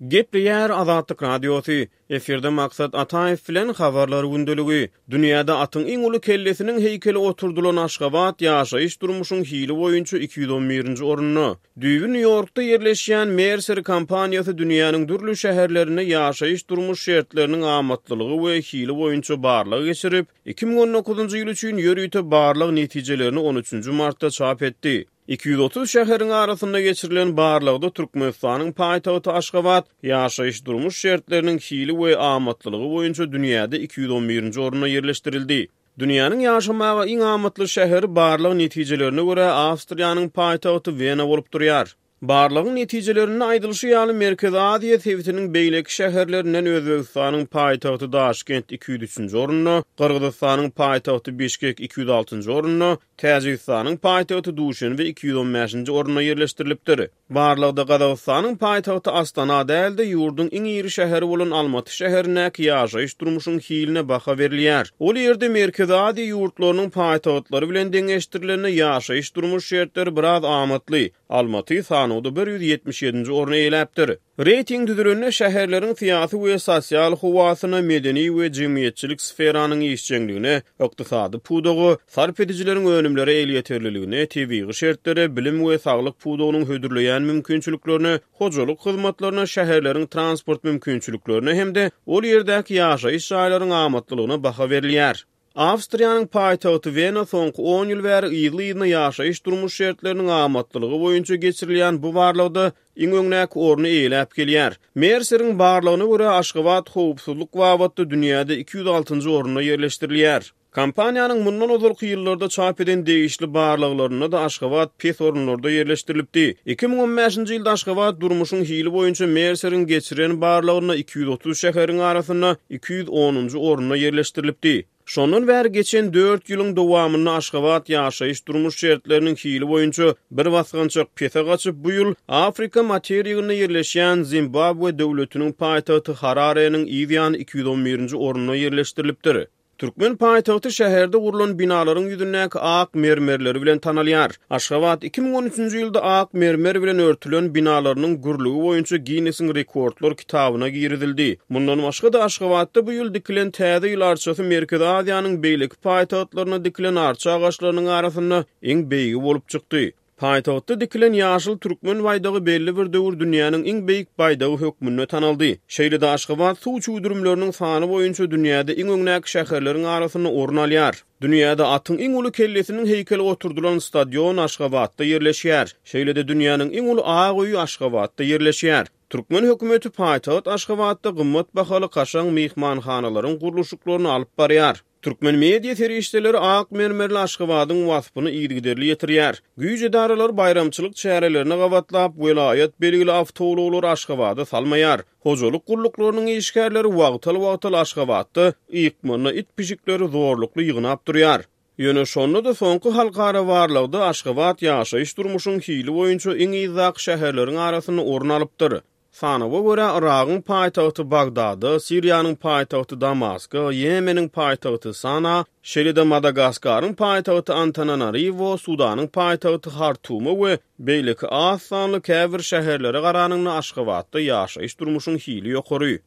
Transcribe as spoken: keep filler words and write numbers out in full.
Gepleýär Azatlyk Radiosy, Efirde Maksat Ataýew bilen Habarlar gündeligi. Dünýäde atyň iň uly kellesiniň heýkeli oturdylan Aşgabat ýaşaýyş-durmuşyň hili boýunça iki ýüz on birinji orunda. Düýbi Nýu-Ýorkda ýerleşýän Mercer kompaniýasy dünýäniň dürli şäherlerinde ýaşaýyş-durmuş şertleriniň amatlylygy we hili boýunça barlag geçirip, iki müň on dokuzynjy ýyl üçin ýörite barlag netijelerini on üçünji martda çap etdi. Iki ýüz otuz şäheriň arasynda geçirilen barlagda Türkmenistanyň paýtagty Aşgabat ýaşaýyş-durmuş şertleriniň hili we amatlylygy boýunça dünýäde iki ýüz on birinji orunda ýerleşdirildi. Dünýäniň ýaşamaga iň amatly şäheri barlag netijelerine görä Awstriýanyň paýtagty Wena bolup durýar. Barlagyň netijelerinde aýdylyşy ýaly, Merkezi Aziýa sebitiniň beýleki şäherlerinden Özbegistanyň paýtagty Daşkent iki ýüz üçünji orunda, Gyrgyzystanyň paýtagty Bişkek iki ýüz altynjy orunda, Täjigistanyň paýtagty Duşenbe iki ýüz on bäşinji orunda ýerleşdirilipdir. Barlagda Gazagystanyň paýtagty Astana däl-de, ýurduň iň iri şäheri bolan Almaty şäherindäki ýaşaýyş-durmuşyň hiline baha berilýär. Ol ýerde Merkezi Aziýa ýurtlarynyň paýtagtlary bilen deňeşdirilende ýaşaýyş-durmuş şertleri biraz amatly. Almaty sanawda bir ýüz ýetmiş ýedinji orny eýeläpdir. Reýting düzülende şäherleriň syýasy we sosial howasyna, medeni we jemgyýetçilik sferanyň işjeňligine, ykdysady pudaga, sarp edijileriň önümlere elýeterliligine, tebigy şertlere, bilim we saglyk pudagynyň hödürleýän mümkinçiliklerine, hojalyk hyzmatlaryna, şäherleriň transport mümkinçiliklerine hem-de ol ýerdäki ýaşaýyş jaýlaryň amatlylygyna baha berilýär. Awstriýanyň paýtagty Wena soňky on ýyl bäri yzly-yzyna ýaşaýyş-durmuş şertleriniň amatlylygy boýunça geçirilýän bu barlagda iň öňdäki orny eýeläp gelýär. Merseriň barlagyna görä, Aşgabat howpsuzlyk babatda dünýäde iki ýüz altynjy orunda ýerleşdirilýär. Kompaniýanyň mundan ozalky ýyllarda çap eden degişli barlaglarynda-da Aşgabat pes orunlarda ýerleşdirilipdi. Iki müň on bäşinji ýylda Aşgabat durmuşyň hili boýunça Merseriň geçiren barlagynda iki ýüz otuz şäheriň arasynda iki ýüz onunjy orunda ýerleşdirilipdi. Şondan bäri geçen dört ýylyň dowamynda Aşgabat ýaşaýyş-durmuş şertleriniň hili boýunça bir basgançak pese gaçyp, bu ýyl Afrika materiginde ýerleşýän Zimbabwe döwletiniň paýtagty Harareniň yz ýany iki ýüz on birinji orunda ýerleşdirilipdir. Türkmen paýtagty şäherde gurlan binalaryň ýüzündäki ak mermerleri bilen tanalýar. Aşgabat iki müň on üçünji ýylda ak mermer bilen örtülen binalarynyň gürlügi boýunça Ginnesiň rekordlar kitabyna girizildi. Mundan başga-da Aşgabatda bu ýyl dikilen Täze ýyl arçasy Merkezi Aziýanyň beýleki paýtagtlarynda dikilen arça agaçlarynyň arasynda iň beýigi bolup çykdy. Paýtagtda dikilen ýaşyl türkmen baýdagy belli bir döwür dünýäniň iň beýik baýdagy hökmünde tanaldy. Şeýle-de Aşgabat suw çüwdürimleriniň sany boýunça dünýäde iň öňdäki şäherleriň arasynda orun alýar. Dünýäde atyň iň uly kellesiniň heýkeli oturdylan stadion Aşgabatda ýerleşýär. Şeýle-de dünýäniň iň uly ak öýi Aşgabatda ýerleşýär. Türkmen hökümeti paýtagt Aşgabatda gymmat bahaly kaşaň myhmanhanalaryň gurluşyklaryny alyp barýar. Türkmen media serişdeleri ak mermerli Aşgabadyň waspyny yzygiderli ýetirýär. Güýç edaralary baýramçylyk çärelerine gabatlap, welaýat belgili awtoulaglary Aşgabada salmaýar. Hojalyk gulluklarynyň işgärleri wagtal-wagtal Aşgabatda ykmanda it-pişikleri zorlukly ýygnap durýar. Ýöne şonda-da soňky halkara barlagda Aşgabat ýaşaýyş-durmuşyň hili boýunça iň yzdaky şäherleriň arasynda orun alypdyr. Sanawa görä, Yragyň paýtagty Bagdada, Siriýanyň paýtagty Damaska, Ýemeniň paýtagty Sana, şeýle-de Madagaskaryň paýtagty Antananariwo, Sudanyň paýtagty Hartuma we beýleki az sanly käbir şäherlere garanyňda Aşgabatda ýaşaýyş-durmuşyň hili ýokary.